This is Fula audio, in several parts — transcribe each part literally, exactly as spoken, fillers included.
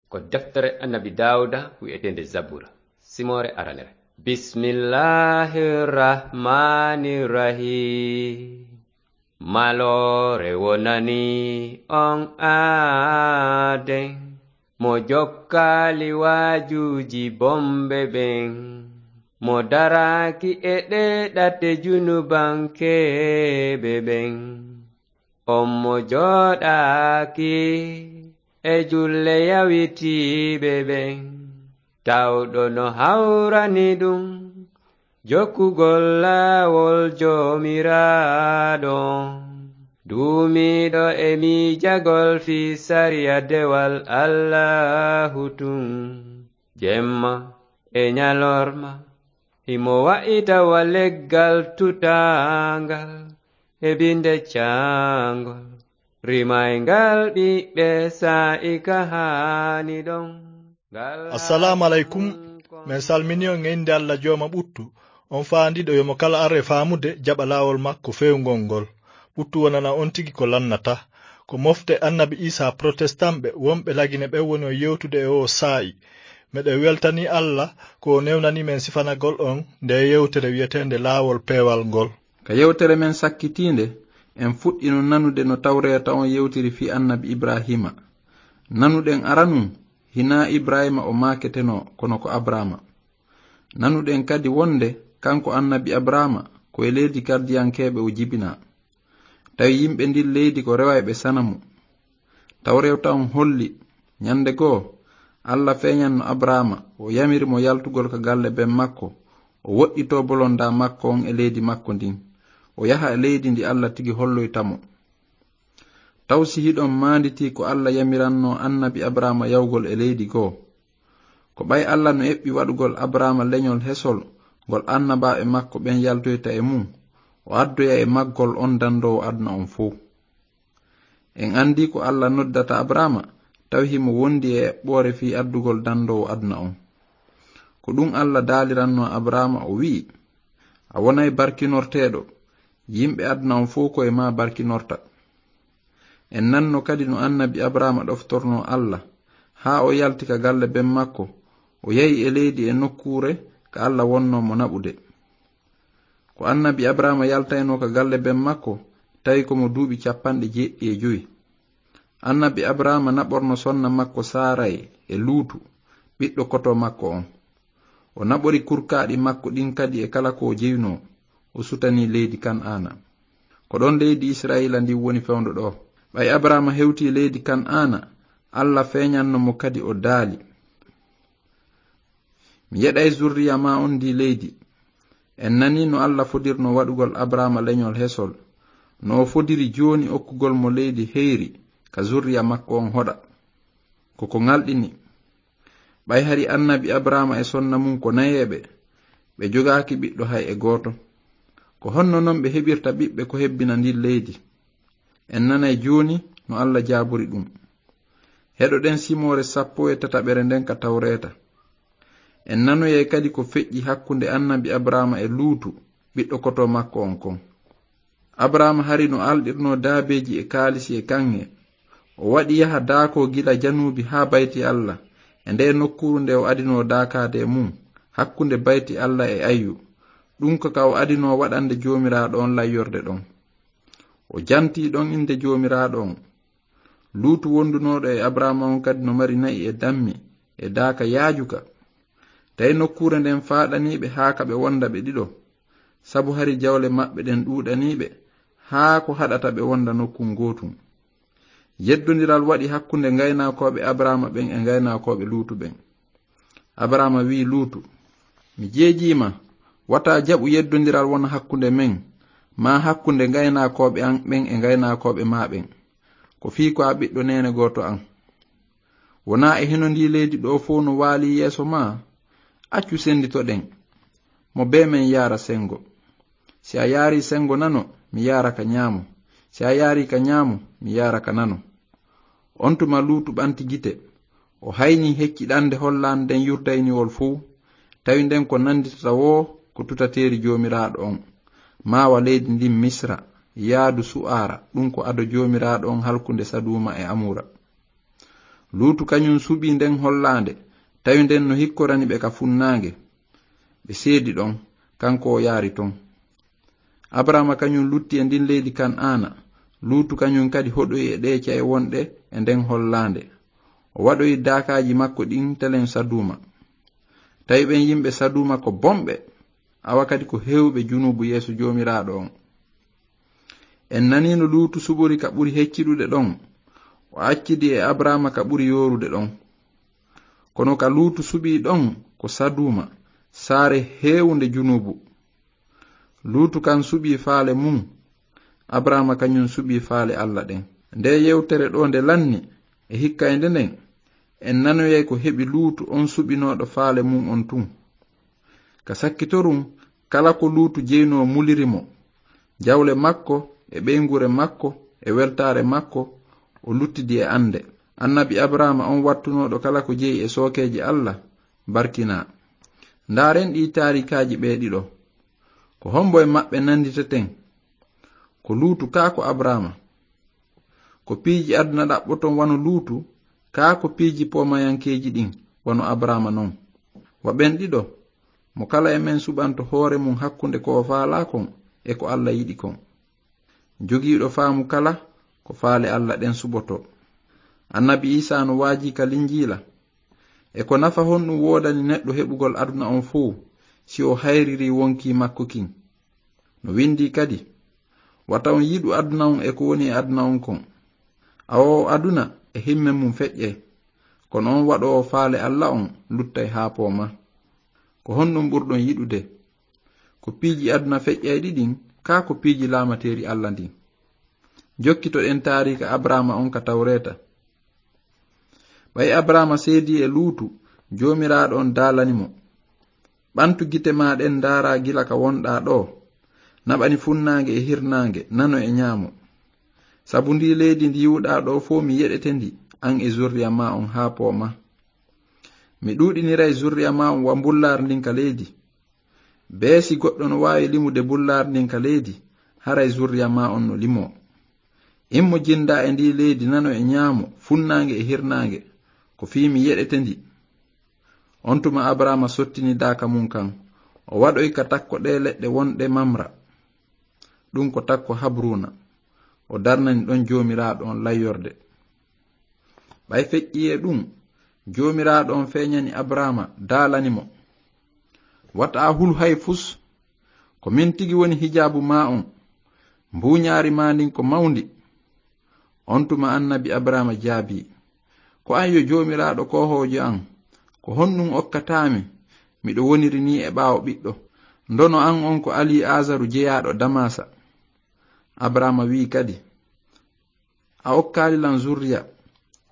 Ko deftere Annabi Daawuda wi'eteende Zabura, simoore aranere. Bismillahir Rahmanir Rahim. Maloore wonani on aaden, mo jokkaali waajuuji bonɓe ɓen, mo daraaki e ɗee ɗate junubankeeɓe ɓen. On mo jooɗaaki e julle yawitiiɓe ɓen, tawɗo no hawrani ɗum jokkugol laawol Joomiraaɗo, duumiiɗo e miijagol fii sariya dewal Allaahu tun, jemma e ñalorma. Himo wa'ita wa leggal tutaangal e binde caangol, rimayngal ɓiɓɓe saa'i ka haani ɗon. Ngal Assalaamu aleykum. Men salmini on e innde Alla Jooma ɓuttu, on faandiiɗo yo mo kala ar e faamude jaɓa laawol makko feewngol ngol. Ɓuttu wonana on tigi ko lannata. Ko mofte Annabi Iisaa protestant ɓe wonɓe Lagine ɓen woni on yewtude e oo saa'i. Meɗen weltanii Alla ko o newnanii men sifanagol on ndee yewtere wi'eteende laawol peewal ngol. Ka yewtere men sakkitiinde, en fuɗɗino nanude no Tawreeta on yewtiri fii Annabi Ibraahiima. Nanuɗen aranun, hinaa Ibraahiima o maaketenoo, kono ko Abraama. Nanuɗen kadi wonde kanko Annabi Abraama ko e leydi Kaldiyankeeɓe o jibinaa. Tawi yimɓe ndin leydi ko rewayɓe sanamu. Tawreeta on holli, ñande goo, Alla feeñanno Abraama, o yamiri mo yaltugol ka galle ben makko, o woɗɗitoo bolondaa makko on e leydi makko ndin, o yaha e leydi ndi Alla tigi holloyta mo. Taw si hiɗon maanditii ko Alla yamiranno Annabi Abraama yawgol e leydi goo? Ko ɓay Alla no eɓɓi waɗugol Abraama leñol hesol ngol annabaaɓe makko ɓen yaltoyta e mun, o addoya e maggol on dandoowo aduna on fow. En anndii ko Alla noddata Abraama, tawi himo wondi e eɓɓoore fii addugol dandoowo aduna on. Ko ɗun Alla daaliranno Abraama, o wi'i, "A wonay barkinorteeɗo, yimɓe aduna on fow ko e maa barkinorta." En nanno kadi no Annabi Abraama ɗoftornoo Alla, haa o yalti ka galle ben makko, o yahi e leydi e nokkuure ka Alla wonnoo mo naɓude. Ko Annabi Abraama yaltaynoo ka galle ben makko, tawi ko mo duuɓi cappanɗe jeeɗiɗi e jowi. Annabi Abraama naɓorno sonna makko Saaray e Luutu, ɓiɗɗo koto makko on. O naɓori kurkaaɗi makko ɗin kadi e kala ko o jeyunoo, o sutanii leydi Kan'aana. Ko ɗon leydi Isra'iila ndin woni fewndo ɗoo. Ɓay Abraama hewtii leydi Kan'aana, Alla feeñanno mo kadi o daali, "Mi yeɗay zurriya maa on ndii leydi." En nanii no Alla fodirno waɗugol Abraama leñol hesol, no o fodiri jooni okkugol mo leydi heyri ka zurriya makko on hoɗa. Ko ko ŋalɗini. Ɓay hari Annabi Abraama e sonna mun ko nayeeɓe, ɓe jogaaki ɓiɗɗo hay e gooto. Ko honno non ɓe heɓirta ɓiɓɓe ko hebbina ndin leydi? En nanay jooni no Alla jaabori ɗun. Heɗoɗen simoore sappo e tataɓere nden ka Tawreeta. En nanoyay kadi ko feƴƴi hakkunde Annabi Abraama e Luutu, ɓiɗɗo koto makko on kon. Abraama hari no alɗirnoo daabeeji e kaalisi e kaŋŋe. O waɗi yaha daakoo gila januubi haa bayti Alla, e ndee nokkuuru nde o adinoo daakaade e mun, hakkunde bayti Alla e Ayyu. Ɗun ko ka o adinoo waɗande Joomiraaɗo on layyorde ɗon. O jantii ɗon innde Joomiraaɗo on. Luutu wondunooɗo e Abraama on kadi no mari na'i e dammi e daaka yaajuka. Tawi nokkuure nden faaɗanii ɓe haa ka ɓe wonda ɓe ɗiɗo, sabu hari jawle maɓɓe ɗen ɗuuɗanii ɓe haa ko haɗata ɓe wonda nokkun gootun. Yeddondiral waɗi hakkunde ngaynaakooɓe Abraama ɓen e ngaynaakooɓe Luutu ɓen. Abraama wi'i Luutu, "Mi jeejii ma, wata jaɓu yeddondiral wona hakkunde men, maa hakkunde ngaynaakooɓe an ɓen e ngaynaakooɓe maa ɓen. Ko fii ko a ɓiɗɗo neene gooto an. Wonaa e hino ndii leydi ɗoo fow no waalii yeeso maa? Accu senditoɗen, mo bee men yaara sengo. Si a yaarii sengo nano, mi yaara ka ñaamo. Si a yaarii ka ñaamo, mi yaara ka nano." On tuma Luutu ɓanti gite. O haynii hecciɗande hollaande nden Yurdayniwol fow, tawi nden ko nanditata woo ko tutateeri Joomiraaɗo on, maa wa leydi ndin Misra, yaadu Su'aara, ɗun ko ado Joomiraaɗo on halkunde Saduuma e Amuura. Luutu kañum suɓii nden hollaande, tawi nden no hikkorani ɓe ka funnaange. Ɓe seedi ɗon, kanko o yaari ton. Abraama kañum lutti e ndin leydi Kan'aana. Luutu kañum kadi hoɗoyi e ɗee ca'e wonɗe e nden hollaande. O waɗoyi daakaaji makko ɗin telen Saduuma. Tawi ɓen yimɓe Saduuma ko bonɓe, awa kadi ko heewɓe junuubu yeeso Joomiraaɗo on. En nanii no Luutu suɓori ka ɓuri hecciɗude ɗon, o accidi e Abraama ka ɓuri yoorude ɗon. Kono ka Luutu suɓii ɗon ko Saduuma, saare heewunde junuubu. Luutu kan suɓii faale mun, Abraama kañum suɓii faale Alla ɗen. Nde yewtere ɗoo nde lanni, e hikkaynde nden, en nanoyay ko heɓi Luutu on suɓinooɗo faale mun on tun. Ka sakkitorun, kala ko Luutu jeynoo muliri mo. Jawle makko, e ɓeynguure makko, e weltaare makko, o luttidi e annde. Annabi Abraama on wattunooɗo kala ko jeyi e sookeeji Alla, barkinaa. Ndaaren ɗii taarikaaji ɓee ɗiɗo. Ko hombo e maɓɓe nanditeten? Ko Luutu kaa ko Abraama? Ko piiji aduna ɗaɓɓoton wano Luutu, kaa ko piiji poomayankeeji ɗin wano Abraama non? Wa ɓen ɗiɗo, mo kala e men suɓanto hoore mun hakkunde ko o faalaa kon e ko Alla yiɗi kon. Jogiiɗo faamu kala, ko faale Alla ɗen suɓoto. Annabi Iisaa no waajii ka Linjiila. E ko nafa honɗun woodani neɗɗo heɓugol aduna on fow, si o hayriri wonkii makko kin? No windii kadi, wata on yiɗu aduna on e ko woni e aduna on kon. Awo aduna e himme mun feƴƴay, kono on waɗoowo faale Alla on luttay haa pooma. Ko honɗun ɓurɗon yiɗude? Ko piiji aduna feƴƴayɗi ɗin, kaa ko piiji laamateeri Alla ndin? Jokkitoɗen taariika Abraama on ka Tawreeta. Ɓay Abraama seedii e Luutu, Joomiraaɗo on daalani mo: "Ɓantu gite maa ɗen, ndaaraa gila ka wonɗaa ɗoo. Naɓani funnaange e hirnaange, nano e ñaamo. Sabu ndii leydi ndi yi'uɗaa ɗoo fow, mi yeɗete ndi, an e zurriya maa on haa pooma. Mi ɗuuɗiniray zurriya maa on wa mbullaari ndin ka leydi. Bee si goɗɗo no waawi limude mbullaari ndin ka leydi, haray zurriya maa on no limoo. Immo jindaa e ndii leydi nano e ñaamo, funnaange e hirnaange, ko fii mi yeɗete ndi." On tuma Abraama sottini daaka mun kan, o waɗoyi ka takko ɗee leɗɗe wonɗe Mamra. Ɗun ko takko Habruuna. O darnani ɗon Joomiraaɗo on layyorde. Ɓay feƴƴii e ɗun, Joomiraaɗo on feeñani Abraama, daalani mo: "Wata a hulu hay fus. Ko min tigi woni hijaabu maa on. Mbuuñaari maa ndin ko mawndi." On tuma annabi Abraama jaabii: "Ko an yo Joomiraaɗo koohoojo an, ko honɗun okkataa mi? Miɗo woniri nii e ɓaawo ɓiɗɗo. Ndono an on ko Alii Aazaru jeyaaɗo Damaasa." Abraama wi'i kadi: "A okkaali lan zurriya.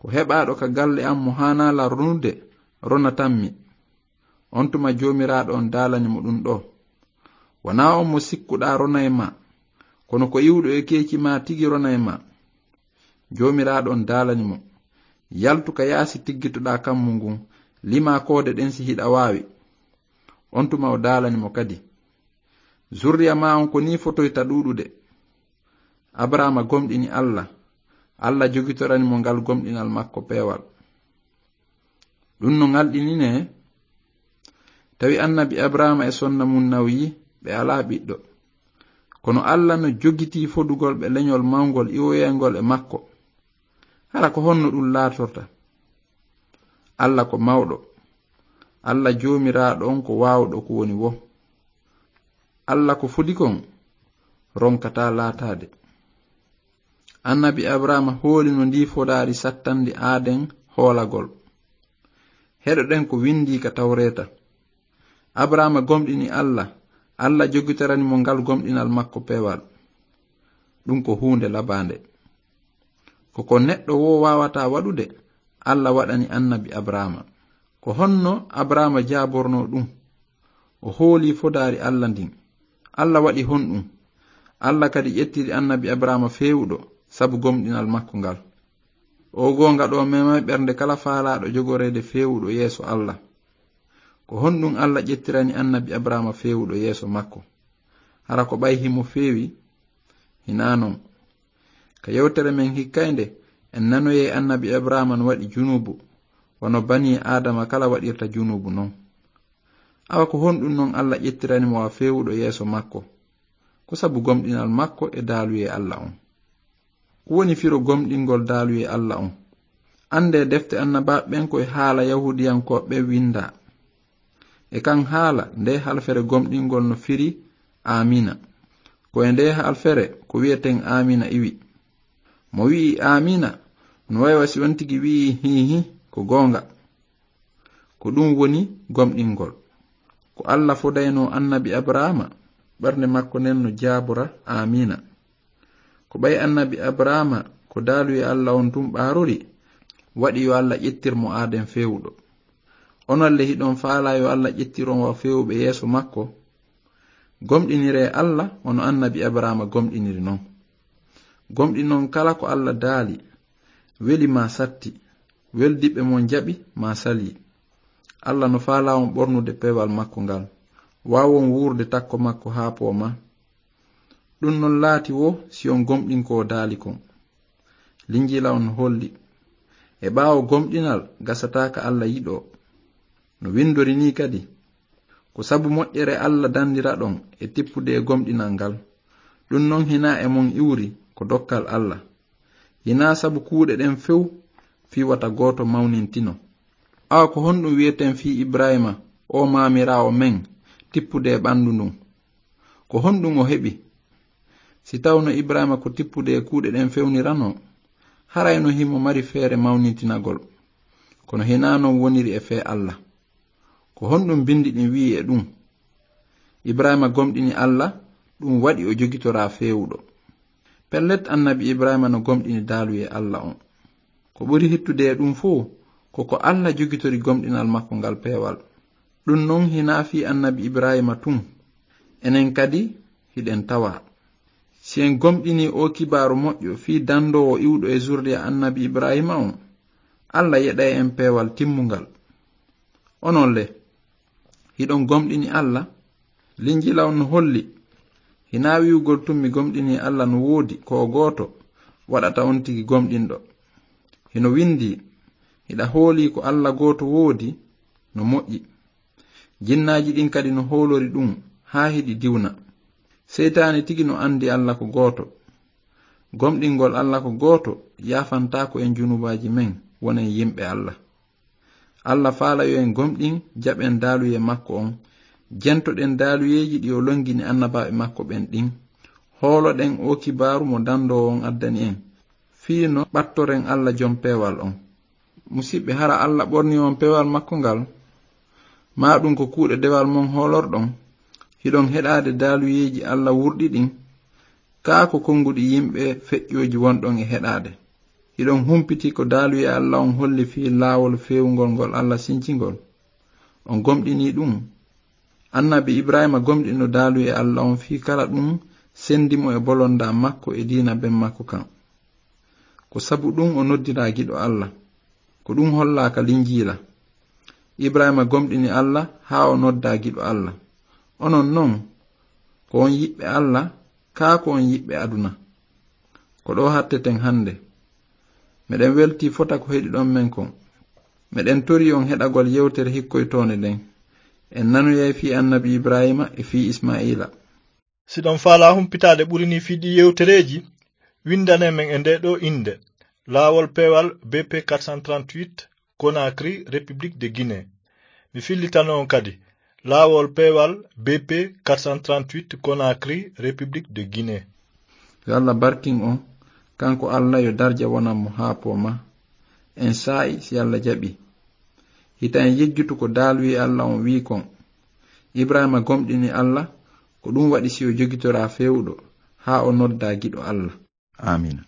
Ko heɓaaɗo ka galle an mo haanaa lan ronude, ronatan mi." On tuma Joomiraaɗo on daalani mo ɗun ɗoo: "Wanaa on mo sikkuɗaa ronay ma, kono ko iwɗo e keeci maa tigi ronay ma." Joomiraaɗo on daalani mo: "Yaltu ka yaasi tiggitoɗaa kammu ngun, limaa koode ɗen si hiɗa waawi." On tuma o daalani mo kadi: "Zurriya maa on ko nii fotoyta ɗuuɗude." Abraama gomɗini Alla. Alla jogitorani mo ngal gomɗinal makko peewal. Ɗun no ngalɗininee? Tawi annabi Abraama e sonna mun nawyi, ɓe alaa ɓiɗɗo. Kono Alla no jogitii fodugol ɓe leñol mawngol iwoyayngol e makko. Hara ko honno ɗun laatorta? Alla ko mawɗo. Alla Joomiraaɗo on ko waawuɗo ko woni woo. Alla ko fodi kon ronkataa laataade. Annabi Abraama hoolino ndii fodaari sattandi aaden hoolagol. Heɗoɗen ko windii ka Tawreeta. Abraama gomɗini Alla, Alla jogitorani mo ngal gomɗinal makko peewal. Ɗun ko huunde labaande. Ko ko neɗɗo woo waawataa waɗude, Alla waɗani annabi Abraama. Ko honno Abraama jaabornoo ɗun? O hoolii fodaari Alla ndin. Alla waɗi honɗun? Alla kadi ƴettiri annabi Abraama feewuɗo sabu gomɗinal makko ngal. Oo goonga ɗoo memay ɓernde kala faalaaɗo jogoreede feewuɗo yeeso Alla. Ko honɗun Alla ƴettirani annabi Abraama feewuɗo yeeso makko? Hara ko ɓay himo feewi? Hinaa non. Ka yewtere men hikkaynde, En nanoyay annabi Ibrahima no waɗi junuubu, wano banii Aadama kala waɗirta junuubu non. Awa ko honɗun non Alla ƴettirani mo wa feewuɗo yeeso makko? Ko sabu gomɗinal makko e daaluyee Alla on. Ko woni firo gomɗingol daaluyee Alla on? Anndee defte annabaaɓe ɓen ko e haala Yahuudiyankooɓe ɓen winndaa. E kan haala, ndee halfere gomɗingol no firi Aamiina. Ko e ndee halfere ko wi'eten Aamiina iwi. Mo wi'i Aamiina, no way wa si on tigi wi'i hiihi, ko goonga. Ko ɗun woni gomɗingol. Ko Alla fodaynoo annabi Abrahaama, ɓernde makko nden no jaabora Aamiina. Ko ɓay annabi Abrahaama ko daaluyee Alla on tun ɓaarori, waɗi yo Alla ƴettir mo aaden feewuɗo. Onon le hiɗon faalaa yo Alla ƴettir on wa feewuɓe yeeso makko? Gomɗiniree Alla wano annabi Abrahaama gomɗiniri non. Gomɗinon kala ko Alla daali, weli maa satti, weldiɓɓe mon jaɓi maa salii. Alla no faalaa on ɓornude peewal makko ngal, waawon wuurde takko makko haa poomaa. Ɗun non laati woo si on gomɗin ko o daali kon. Linjiila on no holli, e ɓaawo gomɗinal gasataa ka Alla yiɗoo. No winndori nii kadi, ko sabu moƴƴere Alla danndiraɗon e tippude e gomɗinal ngal. Ɗun non hinaa e mon iwri, ko dokkal Alla. Hinaa sabu kuuɗe ɗen few fii wata gooto mawnintino. Awa ko honɗun wi'eten fii Ibrahiima, oo maamiraawo men, tippude e ɓanndu ndun? Ko honɗun o heɓi? Si tawno Ibrahiima ko tippude e kuuɗe ɗen fewniranoo, haray no himo mari feere mawnintinagol. Kono hinaa non woniri e fee Alla. Ko honɗun binndi ɗin wi'i e ɗun? Ibrahiima gomɗini Alla, ɗun waɗi o jogitoraa feewuɗo. Pellet, annabi Ibrahiima no gomɗini daaluyee Alla on. Ko ɓuri hittude e ɗun fow, ko ko Alla jogitori gomɗinal makko ngal peewal. Ɗun non hinaa fii annabi Ibrahiima tun. Enen kadi hiɗen tawaa. Si en gomɗinii oo kibaaru moƴƴo fii danndoowo iwɗo e zurriya annabi Ibrahiima on, Alla yeɗay en peewal timmungal. Onon le, hiɗon gomɗini Alla? Linjiila on no holli, hinaa wi'ugol tun mi gomɗinii Alla no woodi ko o gooto, waɗata on tigi gomɗinɗo. Hino winndii, hiɗa hoolii ko Alla gooto woodi, no moƴƴi. Jinnaaji ɗin kadi no hoolori ɗun haa hiɗi diwna. Seytaane tigi no anndi Alla ko gooto. Gomɗingol Alla ko gooto yaafantaako en junuubaaji men, wonen yimɓe Alla. Alla faala yo en gomɗin, jaɓen daaluyee makko on, jentoɗen daaluyeeji ɗi o longini annabaaɓe makko ɓen ɗin, hooloɗen oo kibaaru mo danndoowo on addani en, fii no ɓattoren Alla jom peewal on. Musiɓɓe, hara Alla ɓornii on peewal makko ngal? Maa ɗun ko kuuɗe dewal mon hoolorɗon? Hiɗon heɗaade daaluyeeji Alla wurɗi ɗin? Kaa ko konnguɗi yimɓe feƴƴooji wonɗon e heɗaade? Hiɗon humpiti ko daaluyee Alla on holli fii laawol feewungol ngol Alla sincingol? On gomɗinii ɗun? Annabi Ibrahiima gomɗino daaluyee Alla on fii kala ɗun senndi mo e bolondaa makko e diina ben makko kan. Ko sabu ɗun o noddiraa giɗo Alla. Ko ɗun hollaa ka Linjiila. Ibrahiima gomɗini Alla haa o noddaa giɗo Alla. Onon non, ko on yiɓɓe Alla, kaa ko on yiɓɓe aduna? Ko ɗoo hatteten hannde. Meɗen weltii fota ko heɗiɗon men kon. Meɗen torii on heɗagol yewtere hikkoytoonde nden. En nanoyay fii annabi Ibrahiima e fii Ismaa'iila. Si ɗon faalaa humpitaade ɓuri nii fii ɗii yewtereeji, winndanee men e ndee ɗoo innde, Laawol Peewal B P quatre cent trente-huit, Conakry, République de Guinée. Mi fillitano on kadi, Laawol Peewal B P quatre cent trente-huit, Conakry, République de Guinée. Yo Alla barkin on, kanko Alla yo darja wonan mo haa poomaa. En saa'i si Alla jaɓii. Hita en yejjutu ko daaluyee Alla on wi'i kon. Ibrahiima gomɗini Alla, ko ɗun waɗi si o jogitoraa feewuɗo, haa o noddaa giɗo Alla. Aamiina.